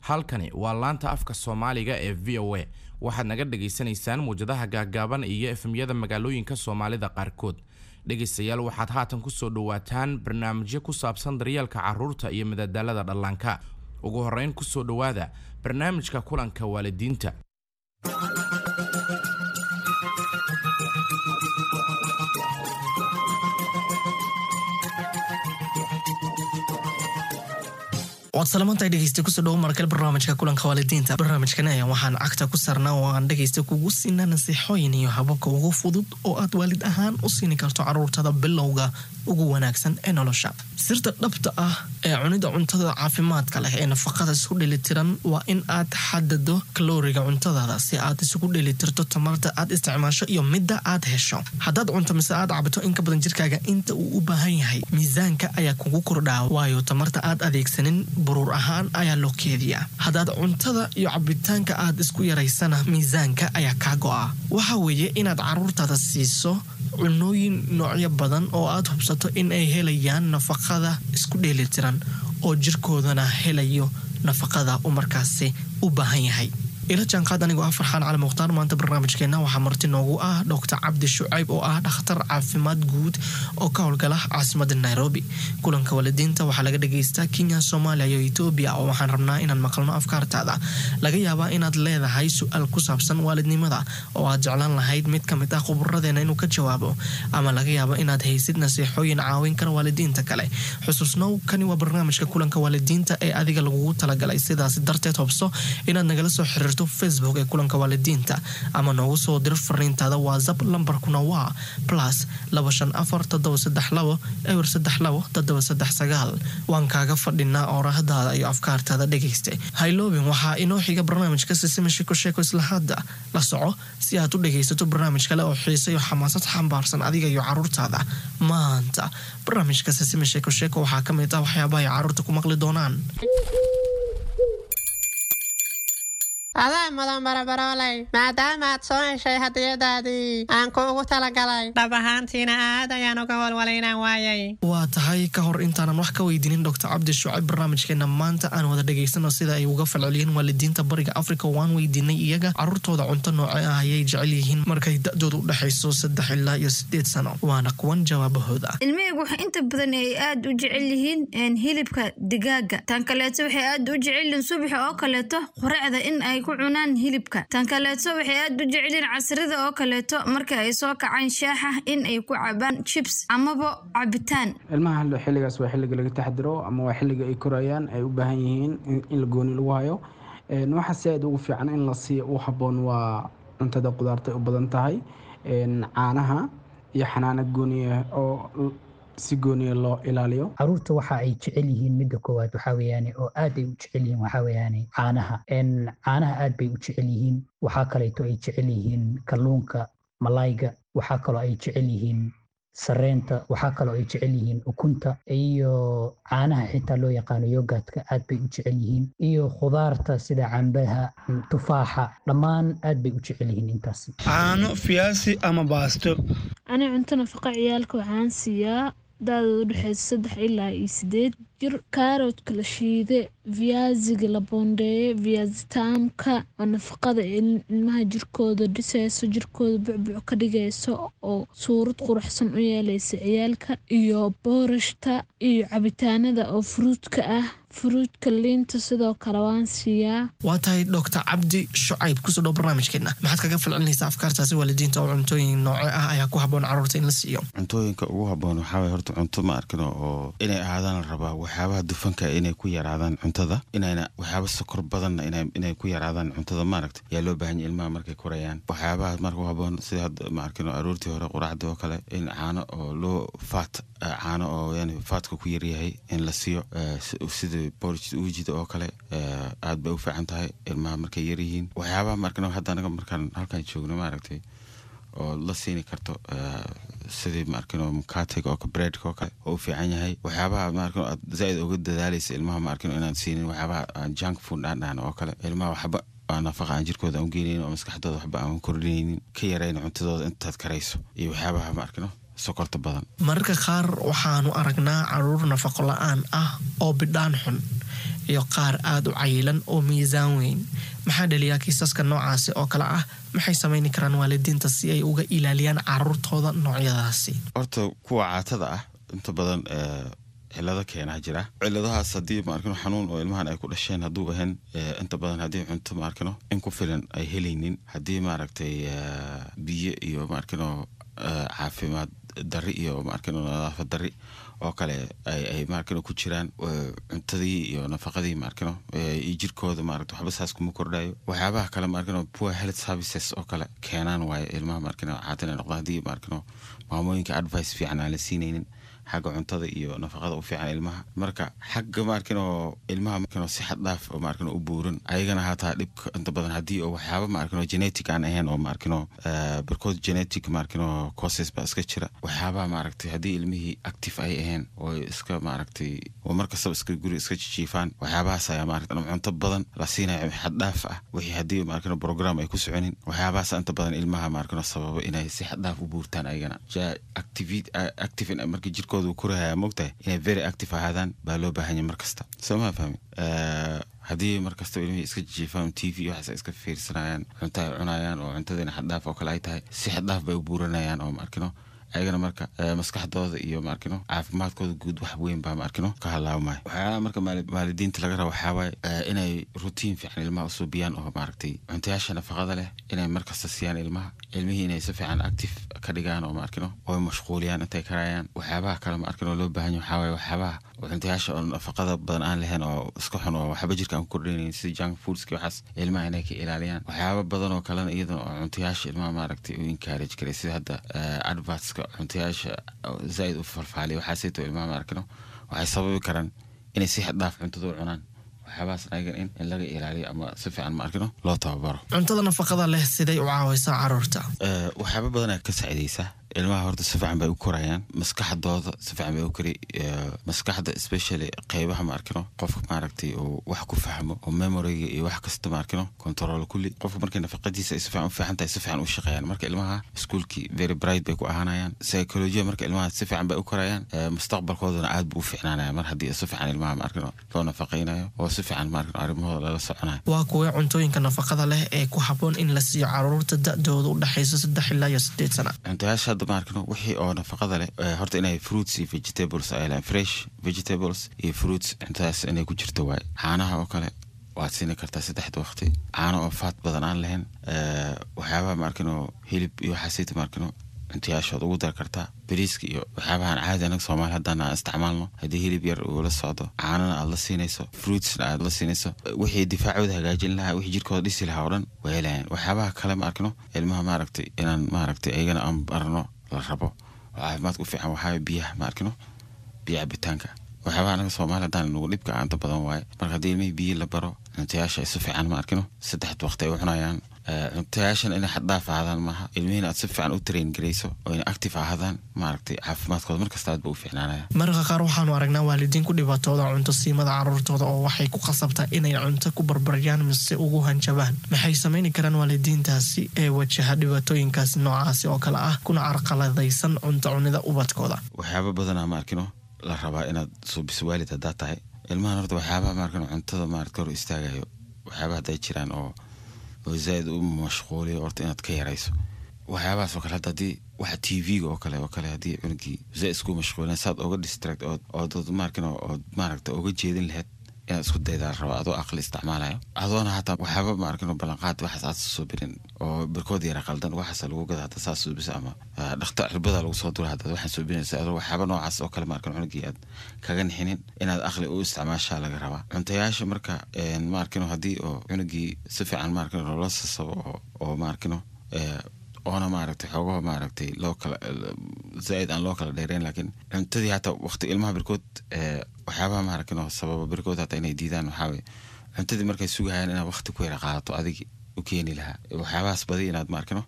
Halkani waa laanta afka Soomaaliga ee VOA. Waxaad naga dhagaysanaysaan muwjadaha gaaggaaban iyo FM-yada magaalooyinka Soomaalida qaarkood. Dhegaystayaal, waxaad haatan kusoo dhawaataan barnaamijyo ku saabsan daryeelka carruurta iyo madadaalada dhallaanka. Ugu horreyn, kusoo dhowaada barnaamijka kulanka waalidiinta. Waad salamantahay, dhegeysta. Kusoo dhawo markale barnaamijka kulanka waalidiinta. Barnaamijkan ayaa waxaan cagta ku saarnaa oo aan dhegeysta kugu siinaa nasiixooyin iyo hababka ugu fudud oo aad waalid ahaan u siini karto caruurtada bilowga ugu wanaagsan ee nolosha. Sirta dhabta ah ee cunida cuntada caafimaadka leh ee nafaqada isku dheelitiran waa in aad xadado kalooriga cuntadaada si aad isugu dheelitirto tamarta aad isticmaasho iyo midda aad hesho. Haddaad cunto mise aad cabto in ka badan jirkaaga inta uu u baahan yahay, miisaanka ayaa kugu kordhaa, waayo tamarta aad adeegsanin buruur ahaan ayaa loo keediyaa. Haddaad cuntada iyo cabitaanka aad isku yaraysana, miisaanka ayaa kaa go'a. Waxa weeye inaad caruurtaada siiso cunooyin noocyo badan oo aad hubsato in ay helayaan nafaqada isku dheelitiran oo jirkoodana helayo nafaqada uu markaasi u baahan yahay. Ila jaanqaad anigoo ah Farxaan Cali Mukhtaar. Maanta barnaamijkeena waxaa marti noogu ah Doctor Cabdi Shucayb oo ah dhakhtar caafimaad guud oo ka howlgala caasimada Nairobi. Kulanka waalidiinta waxaa laga dhageystaa Kenya, Soomaaliya iyo Etoobiya, oo waxaan rabnaa inaan maqalno afkaartaada. Laga yaabaa inaad leedahay su-aal ku saabsan waalidnimada oo aad jeclaan lahayd mid ka mid ah khuburadeena inuu ka jawaabo, ama laga yaabo inaad haysid nasiixooyin caawin kara waalidiinta kale. Xusuusnow, kani waa barnaamijka kulanka waalidiinta ee adiga lagugu talagalay. Sidaasi darteed, hubso inaad nagala soo xiriirto Facebook ee kulanka waalidiinta ama noogu soo dir fariintaada WhatsApp. Lambarkuna waa +254 732 032 739. Waan kaaga fadhinaa oorahdaada iyo afkaartaada, dhegayste. Hayloobin, waxaa inoo xiga barnaamijka Sisima Sheko Sheeko. Isla hadda la soco si aad u dhegaysato barnaamij kale oo xiise iyo xamaasad xambaarsan adiga iyo caruurtaada. Maanta barnaamijka Sisima Sheeko Sheeko waxaa ka mid ah waxyaabaha ay caruurta ku maqli doonaan. Adaa mudan, barabarooley, maadaama aad soo heshay hadiyadaadii aan kuugu talagalay. Dhab ahaantiina aad ayaan uga walwalay inaan waayay. Waa tahay. Ka hor intaanan wax ka weydiinin Doctor Cabdi Shucayb barnaamijkeena maanta, aan wada dhegaysano sida ay uga falceliyeen waalidiinta Bariga Africa. Waan weydiinay iyaga caruurtooda cunto nooce ah ayay jecel yihiin markay da-doodu u dhexayso 3 ilaa iyo 8 sano. Waana kuwan jawaabahooda. Ilmahaygu waxay inta badan ay aad u jecel yihiin hilibka digaaga. Tan kaleeto, waxay aad u jecel yihiin subaxa oo kaleeto quraacda in ay ku cunaan hilibka. Tan kaleeto, waxay aad u jecel yihiin casrida oo kaleeto marka ay soo kacaan shaaxa in ay ku cabaan chips amaba cabitaan. Ilmaha xilligaas waa xilliga laga taxadiro ama waa xilliga ay korayaan, ay u baahan yihiin in la gooni lagu hayo. Waxa si aad ugu fiican in la siiyo u habboon waa cuntada qudaarta ay u badan tahay, caanaha iyo xanaano gooniya oo si gooniya loo ilaaliyo. Caruurta waxa ay jecel yihiin, midda koowaad waxaa weeyaane oo aad ay u jecel yihiin, waxaa weeyaane caanaha. Caanaha aad bay u jecel yihiin. Waxaa kaleeto ay jecel yihiin kalluunka, malayga. Waxaa kaloo ay jecel yihiin sareenta. Waxaa kaloo ay jecel yihiin ukunta iyo caanaha xitaa loo yaqaano yogurtka, aad bay u jecel yihiin, iyo khudaarta sida cambaha, tufaaxa, dhammaan aad bay u jecel yihiin intaasi. Caano, fiyaasi ama baasto. Ani cunto nafaqa ciyaalka waxaan siiyaa da-dooda udhexeysa 3 ilaa iyo 8 jir kaaroodka la shiide, viaziga la boondeeye, viazi taamka oo nafaqada ilmaha jirkooda dhiseyso, jirkooda bucbuc ka dhigeyso oo suurad quruxsan u yeeleysa ciyaalka, iyo boorashta iyo cabitaanada oo fruitka ah, fruitka, liinta sidoo kale waan siiyaa. Waa tahay. Doctor Cabdi Shucayb, kusoo dhow barnaamijkeena. Maxaad kaga falcelinaysaa afkaartaasi waalidiinta oo cuntooyin nooce ah ayaa ku habboon caruurta in la siiyo? Cuntooyinka ugu habboon waxaa waye horta cunto, ma arkino, oo inay ahaadaan la rabaa waxyaabaha dufanka inay ku yaraadaan cuntada, inayna waxyaaba sokor badanna inay ku yaraadaan cuntada, maaragta, yaa loo baahan yahay ilmaha markay korayaan. Waxyaabaha marka u habboon sida hadda, ma arkino, aroortii hore quraacda oo kale in caano oo loo fat, caano oo yani fatka ku yaryahay in la siiyo, sida porridge uujida oo kale, aad bay u fiican tahay ilmaha markay yaryihiin. Waxyaabaha, ma arkino, hadda anaga markaan halkan joogno, maaragtay, oo la siini karto sidii, ma arkino, mukatega oo breadka oo kale oo u fiican yahay. Waxyaabaha, ma arkino, aad zaaid uga dadaalaysa ilmaha, ma arkino, inaan siinin waxyaabaha aan junk food aan dhahno oo kale, ilmaha waxba aan nafaqa aan jirkooda aan u geenaynin oo maskaxdooda waxba aan kordhinaynin. Ka yarayn cuntadooda intaad karayso iyo waxyaabaha, ma arkino, sokorta badan. Mararka qaar waxaanu aragnaa caruur nafaqo la-aan ah oo bidhaan xun. Iyo qaar aada u cayilan oo miisaan weyn. Maxaa dhaliyaa kiisaska noocaasi oo kale ah? Maxay samayni karaan waalidiinta si ay uga ilaaliyaan caruurtooda noocyadaasi? Horta kuwa caatada ah inta badan cilado keenaa jira. Ciladahaas haddii, maarkino, xanuun oo ilmahan ay ku dhasheen hadduu ahayn, inta badan haddii cunto, maarkino, in ku filan ay helaynin, haddii, maaragtay, biyo iyo, maarkino, caafimaad dari iyo, maarkino, nadaafad dari oo kale ay, maarkino, ku jiraan cuntadii iyo nafaqadii, maarkino, iyo jirkooda, maaragta, waxba saas kuma kordhayo. Waxyaabaha kale, maarkino, poor health services oo kale keenaan waaye ilmaha, maarkino, caata inay noqdaan, haddii, maarkino, maamooyinka advice fiican aan la siinaynin xagga cuntada iyo nafaqada u fiican ilmaha. Marka xagga, maarkino, ilmaha, maarkino, si xad dhaaf oo, maarkino, u buuran ayagana hataa dhibka inta badan haddii oo waxyaaba, maarkino, genetic aan ahayn oo, maarkino, barkood genetic, maarkino, causes baa iska jira. Waxyaabaha, maaragtay, haddii ilmihii active ay ahayn oo iska, maaragtay, oo markastaba iska guri iska jijiifaan, waxyaabahaas ayaa, maaragtay, ama cunto badan la siinayo xad dhaaf ah, wixii haddii, maarkino, program ay ku soconin, waxyaabahaas inta badan ilmaha, maarkino, sababa inay si xad dhaaf u buurtaan ayagana. Active marka jirkooda uu korahaya, mogtahay, inay very active ahaadaan baa loo baahan yahay mar kasta. Soo ma fahmi? Haddii mar kastaba ilmihii iska jijiifaan, TV waxaas ay iska fiirsanayaan, cunto ay cunayaan oo cuntadiina xaddhaaf oo kale ay tahay, si xaddhaaf bay u buuranayaan oo, maarkino, ayagana marka maskaxdooda iyo, maarkino, caafimaadkooda guud wax weyn baa, maarkino, ka halaabmaya. Waxyaalaha marka waalidiinta laga rabo waxaa waaye inay routine fiican ilmaha usuubiyaan oo, maaragtay, cuntayaasha nafaqada leh inay markasta siiyaan ilmaha, ilmihii inay si fiican active ka dhigaan oo, maarkino, oo mashquuliyaan intay karayaan. Waxyaabaha kale, maarkino, loo baahan yahay waxaa waaye waxyaabaha cuntayaasha oo nafaqada badan aan lahayn oo iska xun oo waxba jirka aan ku kordhinaynin, sida junk foodska, waxaas ilmaha inay ka ilaaliyaan. Waxyaaba badan oo kalena iyadana oo cuntayaasha ilmaha, maaragtay, u encourage karay, sida hadda advertska cuntayaasha zaaid u falfaaliya, waxaasayto ilmaha, maarkino, waxay sababi karaan inay si xad dhaaf cuntada u cunaan. Waxyaabahaas ayagan in laga ilaaliyo ama si fiican, maarkino, loo tababaro. Cuntada nafaqada leh siday u caawaysaa caruurta? Waxyaaba badanaa ka saacidaysaa ilmaha. Horta si fiican bay u korayaan, maskaxdooda si fiican bay u kori, maskaxda especially qeybaha, maarkino, qofka, maaragtay, uu wax ku fahmo oo memoryga iyo wax kasta, maarkino, control kulli. Qofka markay nafaqadiisa ay si fiican u fiican tahay, si fiican u shaqeeyaan. Marka ilmaha iskuulkii very bright bay ku ahaanayaan, psychology marka ilmaha si fiican bay u korayaan, mustaqbalkoodana aad buu u fiicnaanaya mar haddii si fiican ilmaha, maarkino, loo nafaqaynayo oo si fiican, maarkino, arrimahooda lala soconayo. Waa kuwee cuntooyinka nafaqada leh ee ku habboon in la siiyo caruurta da'dooda u dhexaysa 3 ilaa iyo 8 sana? Cuntayaasha hadda, maarkino, wixii oo nafaqada leh, horta inay fruits iyo vegetables ay leeyihiin, fresh vegetables iyo fruits, cuntadaas inay ku jirto waaye. Caanaha oo kale waad siini kartaa saddexda waqti, caano oo fat badan aan lahayn. Waxyaabaha, maarkino, hilib iyo waxaasayta, maarkino, cuntayaashood ugu dar kartaa. Bariiska iyo waxyaabahan caadi anaga Soomaali haddaan aan isticmaalno, haddii hilib yar uu la socdo, caanana aad la siinayso, fruitsna aad la siinayso, wixii difaacooda hagaajin lahaa, wixii jirkooda dhisi lahaa oo dhan way helayaan. Waxyaabaha kale, ma arkino, ilmaha, maaragtay, inaan, maaragtay, ayagana aan barno la rabo oo caafimaadka u fiican waxaa biyaha, ma arkino, biyo cabitaanka. Waxyaabaha anaga Soomaali haddaan nagu dhibka inta badan waaye. Marka haddii ilmihii biyo la baro, cuntayaasha ay si fiican, ma arkino, saddexda waqti ay u cunayaan, cuntayaashan inay xaddhaaf ahaadaan maaha, ilmihiina aad si fiican u train garayso oo inay active ahaadaan, maaragtay, caafimaadkooda markasta aad ba u fiicnaanaya. Mararka qaar waxaanu aragnaa waalidiin ku dhibaatooda cunto siimada caruurtooda oo waxay ku khasabtaa inay cunto ku barbaryaan mise ugu hanjabaan. Maxay samayni karaan waalidiintaasi ee wajaha dhibaatooyinkaasi noocaasi oo kale ah kuna carqaladaysan cunto cunida ubadkooda? Waxyaaba badanaa, ma arkino, la rabaa inaad suubiso waalid haddaad tahay ilmahan. Horta waxyaabaha, maarkino, cuntada, maarata, hor istaagayo, waxyaabaha hadday jiraan oo zaaid u mashquuliyo, horta inaad ka yarayso waxyaabahaas oo kale. Hadda haddii waxa TV-ga oo kale haddii cunugii zaaid isku mashquulin, saad oga distract ood, maarkino, ood, maaragta, oga jeedin lahayd inaad isku daydaa la rabaa, adoo aqli isticmaalayo, adoona hataa waxyaaba, maarkino, ballanqaad waxaas aad soo birin oo barkood yara qaldan waxaas lagu gada hadda saas suubisa ama dhakta cirbada lagu soo dura haddaad waxaan suubinaysa, adoo waxyaaba noocaas oo kale, maarkino, cunugii aad kaga nixinin, inaad aqli u isticmaashaa laga rabaa cuntayaasha. Marka, maarkino, haddii oo cunugii si fiican, maarkino, loola sasabo oo, maarkino, oona, maaragtay, xoogaho, maaragtay, loo kala zaaid aan loo kala dheereyn, laakiin cuntadii hataa waqti ilmaha barkood, waxyaabaha, maaragtay, sababa barkood hataa inay diidaan waxaa waye cuntadii markay sugahayaan inaad waqti ku yara qaadato adigi u keeni lahaa. Waxyaabahaas badi inaad, maarkino,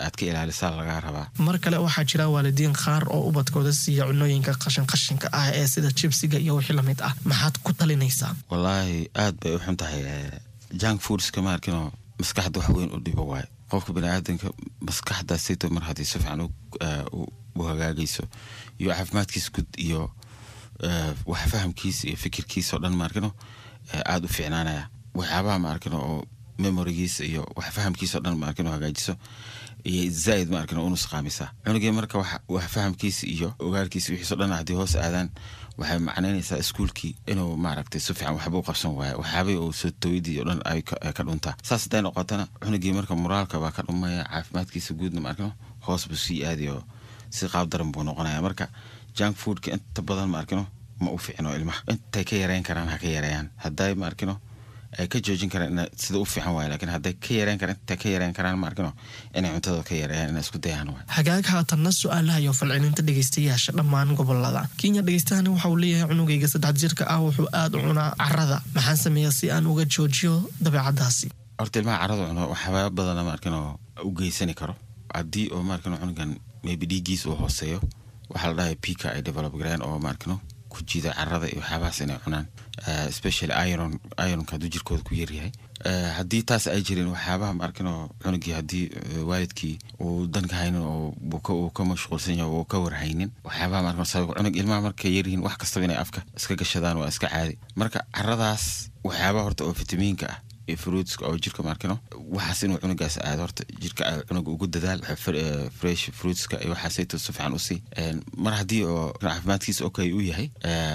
aad ka ilaalisaa lagaa rabaa. Mar kale waxaa jira waalidiin qaar oo ubadkooda siiya cunooyinka qashin qashinka ah ee sida jibsiga iyo wixii lamid ah. Maxaad ku talinaysaa? Wallaahi aad bay u xun tahay junk foodska, maarkino, maskaxda wax weyn u dhibo waaye. Qofka baniaadanka maskaxda sito mar haddii si fiican u hagaagayso iyo caafimaadkiisa guud iyo wax fahamkiisa iyo fikirkiisa oo dhan, maarkino, Aada u fiicnaanaya waxyaabaha, ma arkin, oo memorigiisa iyo wax fahamkiisa o dhan, ma arkin, oo hagaajiso iyo zaaid, ma arkin, oo u nusqaamisaa cunugii. Marka wax fahamkiisa iyo ogaalkiisa wixiiso dhan haddii hoos aadaan, waxay macnaynaysaa iskuulkii inuu, maaragtay, si fiican waxba u qabsan waayo, waxyaabihii uu soo tawidii o dhan ay ka dhuntaa. Saas hadday noqotana, cunugii marka moraalka baa ka dhumaya, caafimaadkiisa guudna, ma arkino, hoos buu sii aadayo, si qaab daran buu noqonaya. Marka junk foodka inta badan, ma arkino, ma u fiicno ilmaha. Intay ka yareyn karaan ha ka yareeyaan. Hadday, ma arkino, ay ka joojin karaan, ina sida u fiican waay, laakiin hadday ka yareyn karaan, intay ka yareyn karaan, ma arkino, inay cuntada ka yareeyaan, inay isku dayaan waay. Hagaag, haatanna su-aalaha iyo falcelinta dhegeystayaasha dhammaan gobolada Kenya. Dhegeystahani waxa uu leeyahay: cunugayga 3 jirka ah wuxuu aada u cunaa carada, maxaan sameeyaa si aan uga joojiyo dabeecadaasi? Horta ilmaha carada cuno waxyaaba badana, ma arkin, oo u geysani karo. Haddii oo, ma arkino, cunugan maybe dhiiggiis uu hooseeyo, waxaa la dhahay pica ay develop gareyn oo, ma arkino, ku jiida carada iyo waxyaabahaas inay cunaan, especially iron. Ironka hadduu jirkooda ku yaryahay, haddii taas ay jirin, waxyaabaha, ma arkino, cunugii haddii waalidkii uu dan ka haynin oo uu ka mashquulsan yahay, uu ka warhaynin waxyaabaha, ma arkino, sabab cunug ilmaha markay yaryihiin wax kastaba inay afka iska gashadaan waa iska caadi. Marka caradaas waxyaabaha horta oo fitamiinka ah iyo fruitska oo jirka, ma arkino, waxaas inuu cunugaas aado horta jirka cunuga ugu dadaal fresh fruitska iyo waxaasayto si fiican usii. Mar haddii oo caafimaadkiisa okay uu yahay,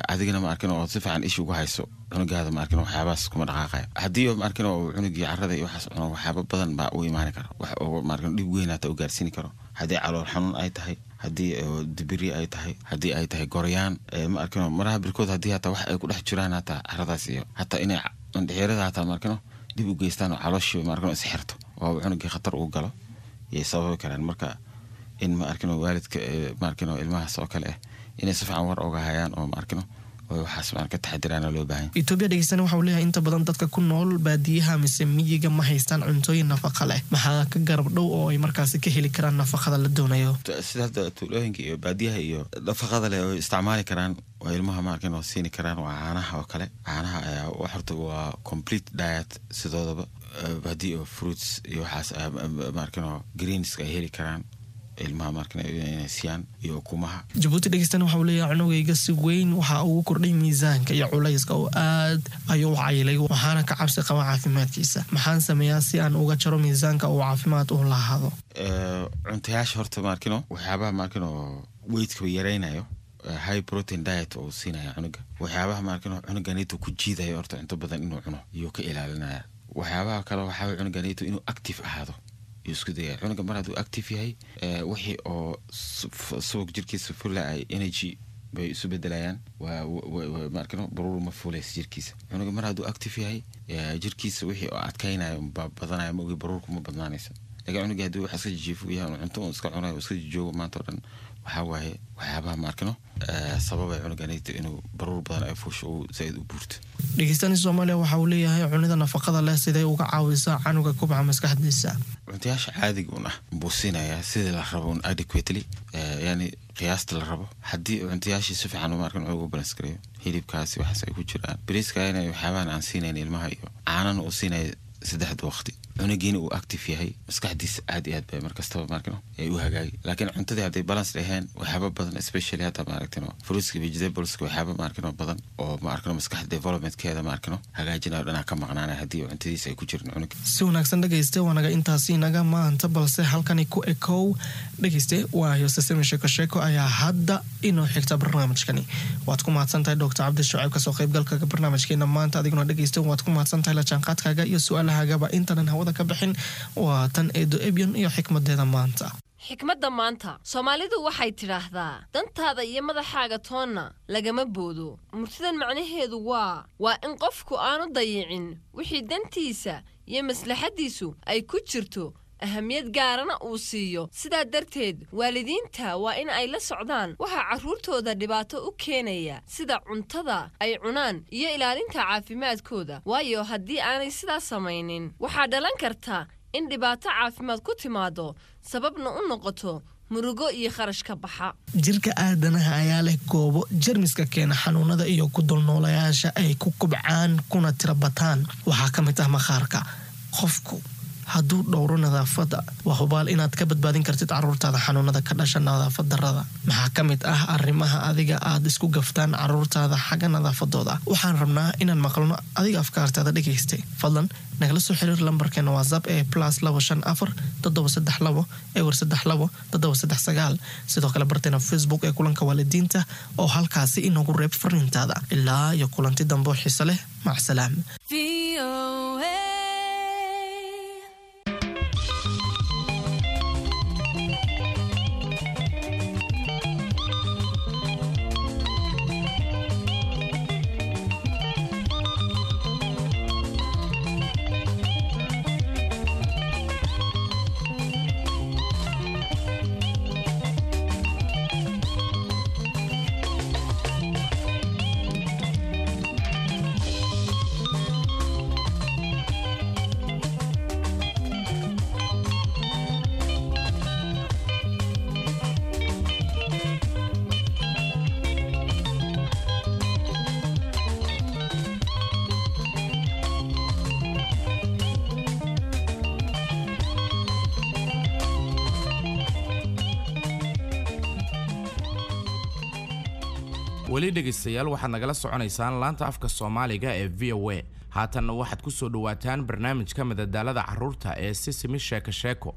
adigana, ma arkino, oo si fiican isha ugu hayso cunugaada, ma arkino, waxyaabahaas kuma dhaqaaqayo. Haddii oo, ma arkino, uu cunugii carada iyo waxaas cuno, waxyaaba badan baa u imaani kara, wax oo, ma arkino, dhib weyn hata u gaarsiini karo. Haddii calool xanuun ay tahay, haddii dibiri ay tahay, haddii ay tahay goryaan, ma arkino, maraha birkood haddii hataa wax ay ku dhex jiraan hataa caradaas iyo hataa inay mandhixirada hataa, ma arkino, dib u geystaan oo calooshii, ma arkino, isxirto oo cunugii khatar uu galo yay sababi karaan. Marka in, ma arkino, waalidka, ma arkino, ilmahaas oo kale ah inay si fiican war oga hayaan oo, ma arkino, oo waxaas maan ka taxadiraana loo baahan. Etoobiya dhegeystana waxa uu leeyahay: inta badan dadka ku nool baadiyaha mise miyiga ma haystaan cuntooyin nafaqa leh, maxaa ka garab dhow oo ay markaasi ka heli karaan nafaqada la doonayo? Sida hadda tuulooyinka iyo baadiyaha iyo nafaqada leh oo isticmaali karaan oo ilmaha, ma arkin, oo siini karaan waa caanaha oo kale. Caanaha ayaa horta waa complete diet sidoodaba. Haddii oo fruits iyo waxaas, ma arkin, oo greenska ay heli karaan ilmaha, ma arkin, inay siiyaan iyo ukumaha. Jabuuti dhegeystana waxa uu leeyahay: cunugayga si weyn waxa ugu kordhay miisaanka iyo culayska oo aad ayuu u cayilay, waxaana ka cabsi qaba caafimaadkiisa. Maxaan sameeyaa si aan uga jaro miisaanka uu caafimaad u lahaado? Cuntayaasha horta, ma arkino, waxyaabaha, ma arkino, weightka yaraynayo, high protein diet oo siinaya cunuga. Waxyaabaha, ma arkino, cunuganito ku jiidayo horta cunto badan inuu cuno iyuu ka ilaalinaya. Waxyaabaha kale waxaa cunuganito inuu active ahaado yuu isku dayaya. Cunuga mar hadduu active yahay, wixii oo subag jirkiisa fula ay energy bay isu bedelayaan, waa, ma arkino, baruur ma fulaysa jirkiisa. Cunuga mar hadduu active yahay, jirkiisa wixii oo adkaynayo baa badanaya, ma ogi, baruurku ma badnaanaysa. Laakiin cunuga haddii wax iska jijiifo yahay, cunto un iska cunayo, iska joogo maanta o dhan, waxaa waaye waxyaabaha, ma arkino, sababay cunuganito inuu baruur badan ay fuusho, uu zaaid u buurto. Dhegeystani Soomaaliya waxa uu leeyahay: cunida nafaqada leh sidee uga caawisaa canuga kubca maskaxdiisa? Cuntayaasha caadiga un ah buu siinayaa sidii la rabo un adequately, yani qiyaasta la rabo. Haddii cuntayaashii si fiican, ma arkin, ugu balance gareeyo, hilibkaasi waxaas ay ku jiraan, bariiska inay waxyaabahan aan siinayn ilmaha iyo caanana uu siinaya saddexda waqti, cunugiina uu active yahay, maskaxdiisa aad iyo aad bay markastaba, maarkino, ay u hagaagi. Laakiin cuntadii hadday balance dhaheen, waxyaaba badan, especially hadda, maaragtino, fruitska, vegetables-ka, waxyaaba, maarkino, badan oo, ma arkino, maskaxda developmentkeeda, maarkino, hagaajinayo dhanaa ka maqnaanaya haddii cuntadiisa ay ku jirin cunuga. Si wanaagsan dhegayste, waa naga intaasi naga maanta, balse halkani ku ekow dhegayste, waayo sisemi sheeko sheeko ayaa hadda inoo xigta barnaamijkani. Waad ku mahadsan tahay Doctor Cabdi Shucayb kasoo qaybgalka barnaamijkeena maanta. Adiguna dhegayste waad ku mahadsan tahay la jaanqaadkaaga iyo su-aalahaagaba. Intanan hawada ka bixin, waa tan Eedo Ebyon iyo xikmadeeda maanta. Xikmadda maanta, Soomaalidu waxay tidhaahdaa: dantaada iyo madaxaaga toonna lagama boodo. Murtidan macnaheedu waa in qofku aanu dayicin wixii dantiisa iyo maslaxaddiisu ay ku jirto, ahamiyad gaarana uu siiyo. Sidaa darteed waalidiinta waa in ay la socdaan waxaa carruurtooda dhibaato u keenaya, sida cuntada ay cunaan iyo ilaalinta caafimaadkooda, waayo haddii aanay sidaas samaynin waxaa dhalan karta in dhibaato caafimaad ku timaado, sababna u noqoto murugo iyo kharash ka baxa. Jirka aadanaha ayaa leh goobo jermiska keena xanuunada iyo ku dulnoolayaasha ay ku kubcaan kuna tira bataan. Waxaa ka mid ah maqaarka. Qofku Hadduu dhowro nadaafadda, waa hubaal inaad ka badbaadin kartid caruurtaada xanuunada ka dhasha nadaafad darrada. Maxaa ka mid ah arrimaha adiga aad isku gaftaan caruurtaada xagga nadaafadooda? Waxaan rabnaa inaan maqalno adiga afkaartaada, dhegaystay. Fadlan nagala soo xiriir lambarkeena WhatsApp ee +254 732 032 739. Sidoo kale barteena Facebook ee Kulanka Waalidiinta oo halkaasi inoogu reeb fariintaada. Ilaa iyo kulanti dambe oo xiise leh, macsalaam. Weli dhegaystayaal, waxaad nagala soconaysaan laanta afka Soomaaliga ee VOA. Haatanna waxaad ku soo dhowaataan barnaamijka madadaalada carruurta ee Sisimi Sheeko Sheeko.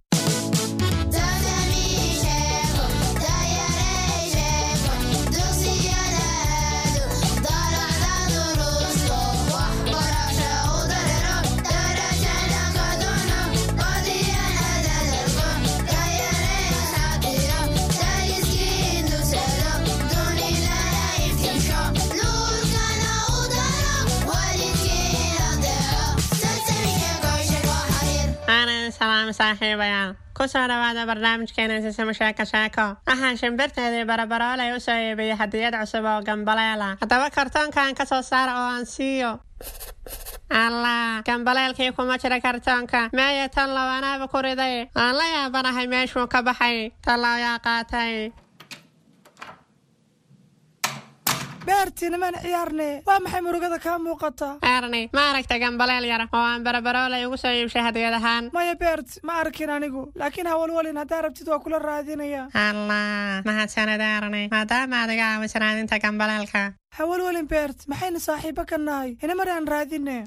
Aanan salaam saaxiibayaal, ku soo dhawaada barnaamijkeena Sisimo Sheeko Sheeko. Waxaan shimbirteedii Barabaroolay u soo iibiyey hadiyad cusub oo gambaleela. Haddaba kartoonkan ka soo saara oo aan siiyo. Allah, gambaleelkii kuma jira kartoonka. Meeye tan lawanaaba ku riday? Aan la yaabanahay meeshuu ka baxay. Tallow yaa qaatay? Beertii, nimaan ciyaarne. Waa maxay murugada kaa muuqata? Erni, ma aragta gambaleel yar oo aan Barabaroolay ugu soo iibshay hadiyad ahaan? Maya Beert, ma arkin anigu, laakiin hawalwalin, haddaa rabtid waa kula raadinaya. Allah, mahadsanid Erni, maadaama aad iga caawiso raadinta gambaleelka. Hawalwalin Beert, maxaynu saaxiibo ka nahay? Inamar aan raadine.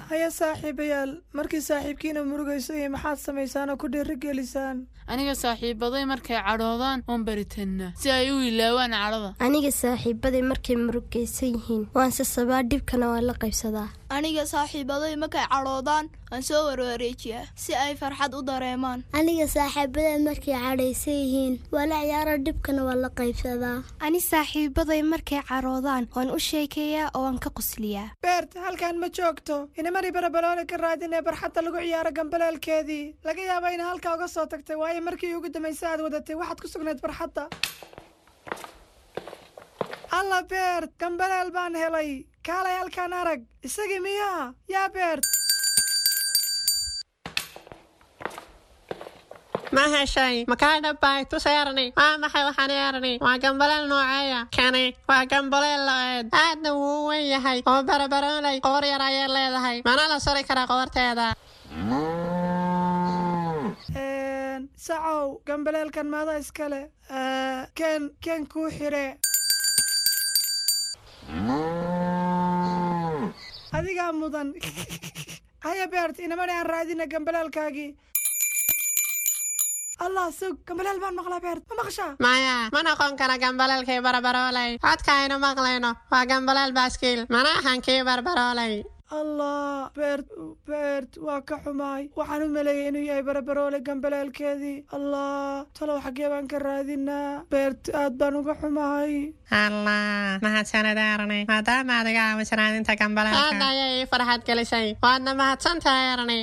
Haya saaxiibayaal, markii saaxiibkiina murugayso iyo maxaad samaysaan oo ku dhiirigelisaan? Aniga saaxiibaday markay cadhoodaan waan baritannaa si ay u ilaawaan cadhada. Aniga saaxiibaday markay murugaysan yihiin waan sasabaa, dhibkana waan la qaybsadaa. Aniga saaxiibaday markay cadhoodaan waan soo warwareejiyaa si ay farxad u dareemaan. Aniga saaxiibaday markay cadhaysan yihiin waa la ciyaara, dhibkana waan la qaybsadaa. Ani saaxiibaday markay cadhoodaan waan u sheekeeyaa oo waan ka qosliyaa. Beert, halkan ma joogto. Inamari Barabaloole ka raadinee barxadda lagu ciyaaro gambaleelkeedii. Laga yaaba ina halkaa uga soo tagtay, waayo markii ugu dambaysa aad wadatay waxaad ku sugnayd barxadda. Alla Beert, gambaleel baan helay. Kaalay halkaan arag. Isagii miyaa yaa Beert? Ma heshay? Makaa dhabbay? Tus Erni. Waa maxay waxaan Erni? Waa gambaleel nooceeya kani? Waa gambaleel lo'eed, aadna wuu u weyn yahay oo Barabaroolay qoor yar ayay leedahay, mana la suri karaa qoorteeda. Sacow, gambaleelkan maada iskale? Ken ken kuu xire. Adigaa mudan. Haya Beert, inamani aan raadina gambaleelkaagii. Allah, sug, gambaleel baan maqlaa. Beert, ma maqashaa? Maya, ma noqon kara gambaleelkii Barabaroolay. Codka aynu maqlayno waa gambaleel baaskiil, mana ahan kii Barbaroolay. Allah Beert, Beert, waa ka xumaay. Waxaan u maleeyay inuu yahay Barabaroole gambaleelkeedii. Allah, talow xaggee baan ka raadinaa? Beert, aad baan uga xumahay. Allah, mahadsanid Erni, maadaama aad iga caawiso raadinta gambaleelka. Aad ayay ii farxad gelisay, waadna mahadsan tahay Erni.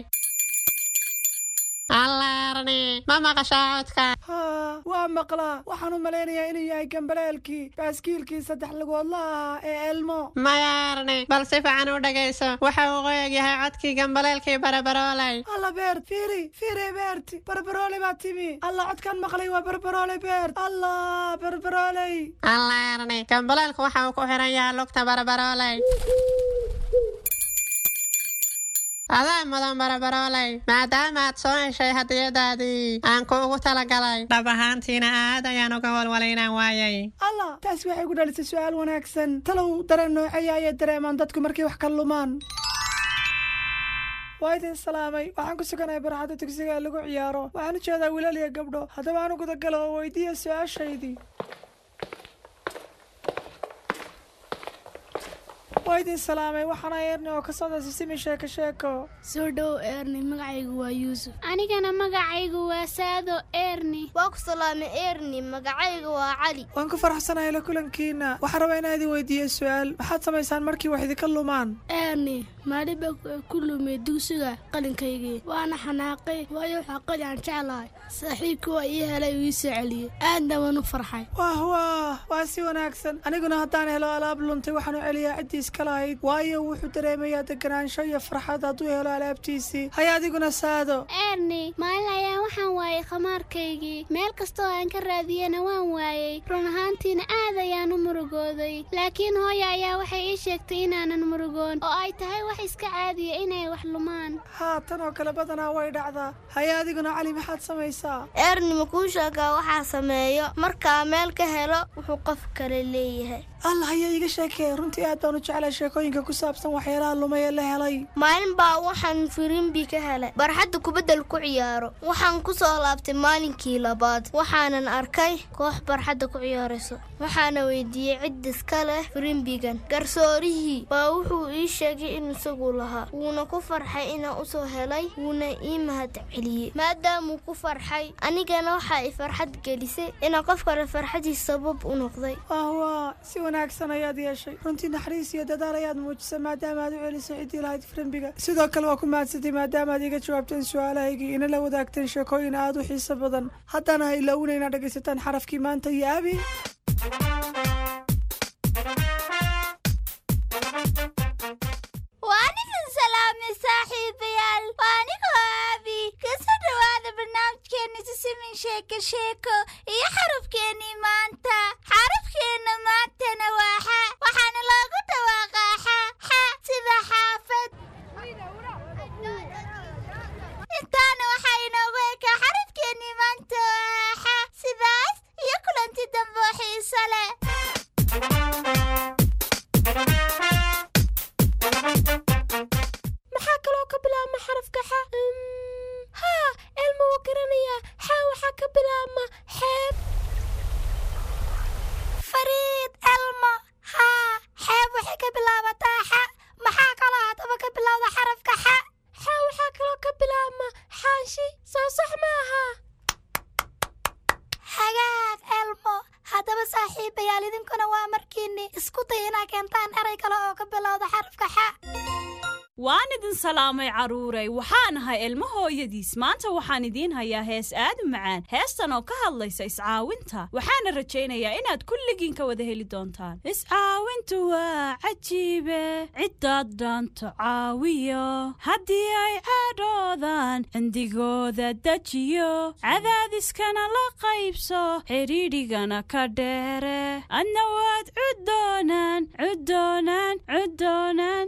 Allah Erni, ma maqashaa codka? Haa, waa maqlaa. Waxaan u malaynayaa inuu yahay gambaleelkii baaskiilkii saddex lugoodla ahaa ee Elmo. Maya Erni, bal si fiican u dhegayso. Waxa uu qoyag yahay codkii gambaleelkii Barabaroolay. Alla Beert, fiiri fiiri. Beert, Barbaroole baa timi. Alla, codkaan maqlay waa Barbaroole. Beert, Allah, Barbarooley. Allah Erni, gambaleelku waxa uu ku xiran yahay lugta Barabaroolay. Adaa mudan Barabarooley, maadaama aad soo heshay hadiyadaadii aan kuugu talagalay. Dhab ahaantiina aad ayaan uga walwalay inaan waayay. Allah, taasi waxay ku dhalisay su'aal wanaagsan. Talow dareen nooceeya ayay dareemaan dadku markay wax ka lumaan? Waa idin salaamay. Waxaan ku suganahay barxadda dugsiga ee lagu ciyaaro. Waxaan u jeedaa wiilal iyo gabdho. Haddaba aan u gudagalo oo weydiiya su-aashaydii. Waa idin salaamay. Waxaana Eerni oo ka socda Sisimi Sheeko Sheeko. Soo dhow Eerni, magacaygu waa Yuusuf. Anigana magacaygu waa Saado Eerni. Waa ku salaamay Eerni, magacaygu waa Cali. Waan ku faraxsanahay la kulankiina. Waxaan rabaa inaan idin weydiiyo su-aal. Maxaad samaysaan markii wax idinka lumaan? Eerni, maalin baa ku lumay dugsiga qalinkaygii, waana xanaaqay, waayo waxaa qalin aan jeclahay. Saaxiibkii waa ii helay uu ii soo celiyey, aadna waan u farxay. Wah wah, waa si wanaagsan. Aniguna haddaan helo alaab luntay, waxaan u celiyaa ciddii iska lahayd, waayo wuxuu dareemayaa deganaansho iyo farxad hadduu helo alaabtiisii. Haya adiguna Saado. Eerni, maalin ayaa waxaan waayay khamaarkaygii. Meel kastoo aan ka raadiyena waan waayey. Run ahaantiina aad ayaan u murugooday, laakiin hooya ayaa waxay ii sheegtay inaanan murugoon oo ay tahay wax iska caadiya inay wax lumaan. Haa, tan oo kale badanaa way dhacdaa. Haya adiguna Cali, maxaad samaysaa? Eerni, ma kuu sheegaa waxaa sameeyo markaa meel ka helo wuxuu qof kale leeyahay? Allah, haya iiga sheekee. Runtii aad baan u jeclay sheekooyinka ku saabsan waxyaalaha lumay ee la helay. Maalin baa waxaan firimbi ka helay barxadda kubaddal ku ciyaaro. Waxaan ku soo laabtay maalinkii labaad, waxaanan arkay koox barxadda ku ciyaarayso. Waxaana weydiiyey cid iska leh firimbigan. Garsoorihii baa wuxuu ii sheegay in isagu lahaa, wuuna ku farxay inaan u soo helay, wuuna ii mahad celiyey maadaamuu ku farxay. Anigana waxaa i farxad gelisay inaan qof kale farxadiis sabab u noqday. Wah, si wanaagsan ayaad yeeshay. Runtii naxariis iyo dadaal ayaad muujisay maadaama aad u celisay ciddii lahayd firimbiga. Sidoo kale waa ku mahadsantay maadaama aad iga jawaabteen su-aalahaygii, ina la wadaagteen sheekooyin aad u xiiso badan. Haddana ha ilaawina inaad dhegaysataan xarafkii maanta iyo Abi. Waan idin salaamay saaxiibayaal, waa anigoo Aabi. Kasoo dhowaada barnaamijkeena Sisimin Sheeko Sheeko iyo xarafkeennii maanta. Xarafkeenna maantana waa xa, waxaana loogu dhawaaqaa xa xa, sida xaafad. Intaana waxaa inoogu ekaa xarafkeennii maanta oo ah xa. Sidaas iyo kulanti dambe oo xiiso leh. Maxaa kaloo ka bilaabma xarafka xa? Haa, Elma wuu garanayaa. Xa waxaa ka bilaabma xeeb. Fariid Elmo, haa, xeeb waxay ka bilaabataa xa. Maxaa kaloo haddaba ka bilowda xarafka xa? Xa waxaa kaloo ka bilaabma xaanshi, soo sax maaha? Hagaag Elmo. Haddaba saaxiibayaal, idinkuna waa markiinni isku day inaa keentaan eray kale oo ka bilowda xarafka xa. Waan idin salaamay carruuray. Waxaan ahay Ilmo hooyadiis. Maanta waxaan idiin hayaa hees aad u macaan, heestan oo ka hadlaysa iscaawinta. Waxaana rajaynayaa inaad kulligiin ka wada heli doontaan. Iscaawintu waa cajiibe, ciddaad dhaanto caawiyo, haddii ay cadhoodaan cindigooda dejiyo, cadaadiskana la qaybso, xidhiidhigana ka dheere, adna waad cuddoonaan cuddoonaan cuddoonaan.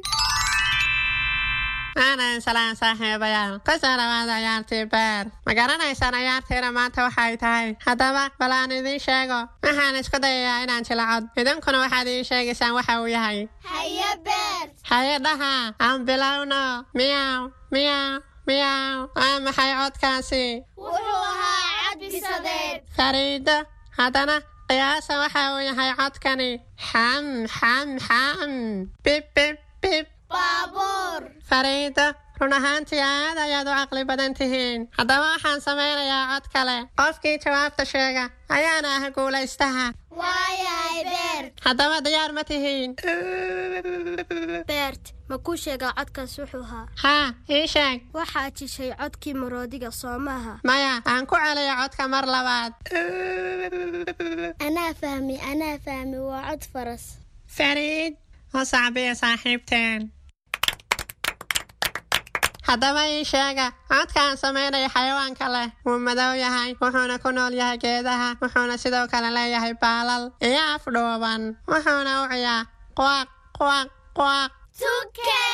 Aanan salaan saaxiibayaal, kusoo dhawaada ciyaartii beer. Ma garanaysaan ciyaartiina maanta waxay tahay? Haddaba bal aan idiin sheego. Waxaan isku dayayaa inaan jilacod, idinkuna waxaad ii sheegaysaan waxa uu yahay. Haye Beer. Haye dhaha, aan bilowno. Miyaw miyaw miyaw, waa maxay codkaasi? Wuxuu ahaa cad bisadeed. Fariido, haddana qiyaasa waxa uu yahay codkani. Xam xam xam, bib bib bib. Baabuur. Fariido, run ahaantii aad ayaad u caqli badan tihiin. Haddaba waxaan samaynayaa cod kale. Qofkii jawaabta sheega ayaana ah guulaystaha. Waayahay Beert. Haddaba diyaar ma tihiin? Beert, ma kuu sheegaa codkaas wuxuu ahaa? Haa, ii sheeg. Waxaad jishay codkii maroodiga, soo maaha? Maya, aan ku celiyo codka mar labaad. Anaa fahmi, anaa fahmi, waa cod faras. Fariid, u sacbiya saaxiibteen. Haddaba ii sheega codka aan samaynayo xayawaanka leh. Wuu madow yahay, wuxuuna ku nool yahay geedaha, wuxuuna sidoo kale leeyahay baalal iyo af dhuuban, wuxuuna u ciyaa quaq quaq quaq. Tuke.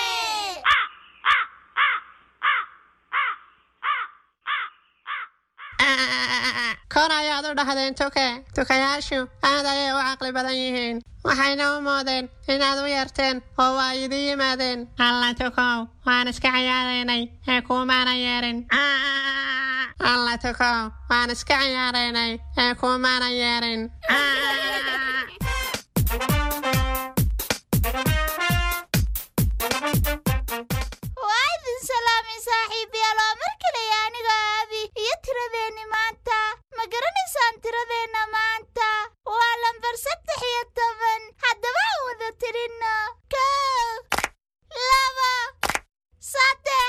Kor ayaad u dhahdeen tuke. Tukayaashu aad ayay u caqli badan yihiin, waxayna u moodeen inaad u yeerteen oo waa idin yimaadeen. Alla tukow, waan iska ciyaaraynay ee kuumaana yeerin. Alla tukow, waan iska ciyaaraynay ee kuumaana yeerin. Waa idin salaamay saaxiibayaal, waa mar kale aniga Aabi iyo tiradeenni maanta. Ma garanaysaan tiradeenna maanta? Waa lambar 13. Haddaba aan wada tirinno: 1, 2, 3,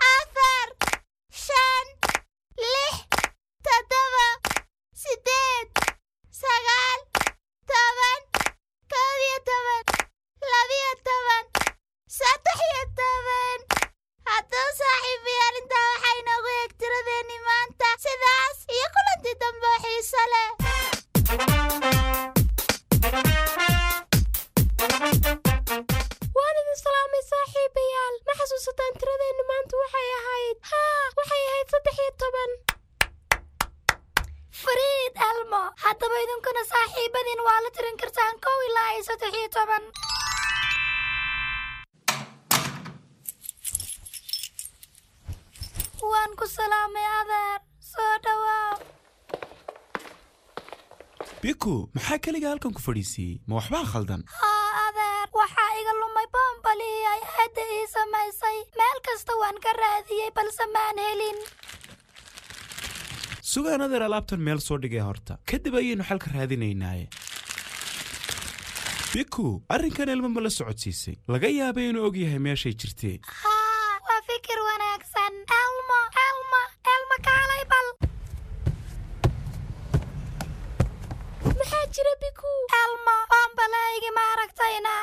4, 5, 6, 7, 8, 9, 10, 11, 12, 13. Haddaba saaxiibayaal, intaa waxaa inoogu eeg tiradeenni maanta. Sidaas iyo kulantii dambe oo xiiso leh. Waan idin salaamay saaxiibayaal. Ma xasuusataan tiradeenna maanta waxay ahayd? Haa, waxay ahayd 13. Fariid Elmo, haddaba idinkuna saaxiibadiin waa la tirin kartaan 1 ilaa iyo 13. Waan ku salaamay adeer, soo dhawaaw. Biku, maxaa keliga halkan ku fadhiisiiyey? Ma waxbaa khaldan? Haa adeer, waxaa iga lumay boombalihii ay aadda ii samaysay. Meel kasta waan ka raadiyey balse maan helin. Sugaan adeer, alaabtan meel soo dhigay horta, kadib ayaynu xalka raadinaynaaye. Biku, arrinkan Elmo ma la socodsiisay? Laga yaabay inuu og yahay meeshay jirtee. Haa, waa fikir wanaagsan. Elmo, Elmo, Elmo, kaalay bal. Maxaa jira, Biku? Elmo, boombalahaygi ma aragtayna?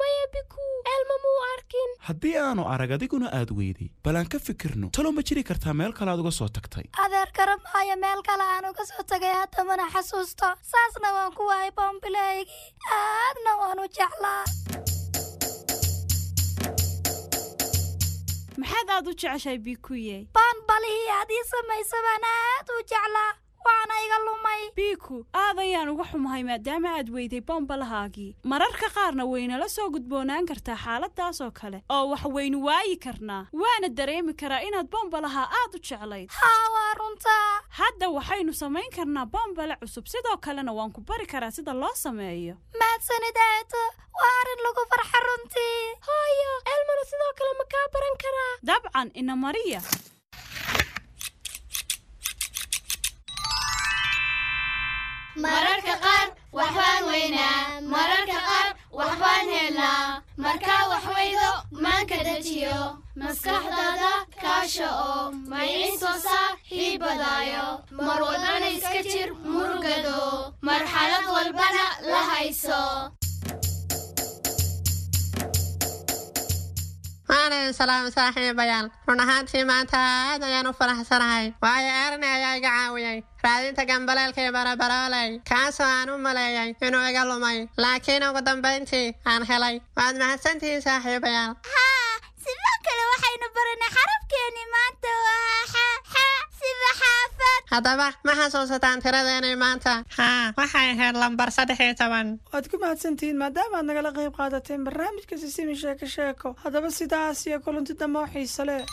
Maya Biku, Elmo muu arkin. Haddii aanu arag adiguna aad weyday, bal aan ka fikirno. Talow ma jiri kartaa meel kale aad uga soo tagtay? Adeer, garamaayo meel kale aan uga soo tagay, hadda mana xasuusto. Saasna waan ku waayay boombilahaygii, aadna waan u jeclaa. Maxaad aad u jeceshahay, Bikuye? Boonbalihii aad ii samaysa baan aad u jeclaa, waana iga lumay. Biku, aad ayaan uga xumahay maadaama aad weyday bombalahaagii. Mararka qaarna waynala soo gudboonaan kartaa xaaladaas oo kale oo wax waynu waayi karnaa, waana dareemi karaa inaad bombalaha aad u jeclayd. Haa, waa runtaa. Hadda waxaynu samayn karnaa bombale cusub, sidoo kalena waan ku bari karaa sida loo sameeyo. Mahadsanid aato, waa arrin lagu farxa runtii. Hooyo, Elmona sidoo kale ma kaa baran karaa? Dabcan, ina mariya. Mararka qaar waxbaan weynaa, mararka qaar waxbaan helnaa. Markaa wax weydo, maanka dejiyo, maskaxdaada kaasha oo maycin soo saaxiibadaayo. Mar walbana iska jir murugado, marxalad walbana la hayso. Waan idin salaamay saaxiibayaal. Run ahaantii maanta aad ayaan u faraxsanahay, waayo Erne ayaa iga caawiyey raadinta gambaleelkii barabarooley, kaasoo aan u maleeyay inuu iga lumay, laakiin ugu dambayntii aan helay. Waad mahadsantihiin saaxiibayaal. Haa, sidoo kale waxaynu baranay xarafkeenni maanta, waa xa, xa sida xaafad. Haddaba ma xasuusataan tiradeenii maanta? Haa, waxay ahayd lambar 13. Waad ku mahadsantihiin maadaama aad nagala qayb qaadateen barnaamijka Sisimi Sheeko Sheeko. Haddaba sidaas iyo kulanti dambe oo xiiso leh.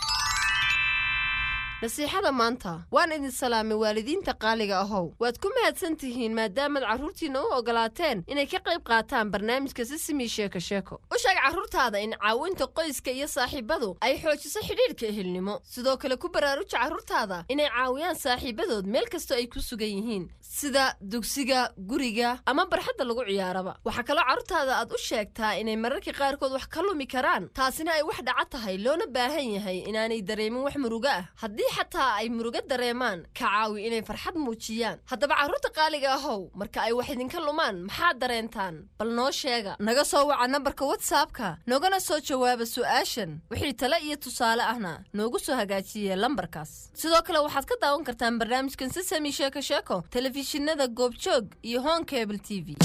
Nasiixada maanta. Waan idin salaamay waalidiinta qaaliga ahow. Waad ku mahadsan tihiin maadaamaad carruurtiinna u ogolaateen inay ka qayb qaataan barnaamijka Sisimi Sheeko Sheeko. U sheeg carruurtaada in caawinta qoyska iyo saaxiibadu ay xoojiso xidhiidhka ehelnimo. Sidoo kale ku baraaruja carruurtaada inay caawiyaan saaxiibadood meel kastoo ay ku sugan yihiin, sida dugsiga, guriga ama barxadda lagu ciyaaraba. Waxaa kaloo carruurtaada aad u sheegtaa inay mararka qaarkood wax ka lumi karaan, taasina ay wax dhaca tahay, loona baahan yahay inaanay dareemin wax murugo ah. Haddii xataa ay murugo dareemaan, ka caawi inay farxad muujiyaan. Haddaba carruurta qaaliga ahow, marka ay wax idinka lumaan maxaad dareentaan? Bal noo sheega. Naga soo waca nambarka WhatsAppka, noogana soo jawaaba su'aashan. Wixii tale iyo tusaale ahna noogu soo hagaajiye lambarkaas. Sidoo kale waxaad ka daawan kartaan barnaamijkan Sisami Sheeko Sheeko telefishinada Goobjoog iyo Hon Cable TV.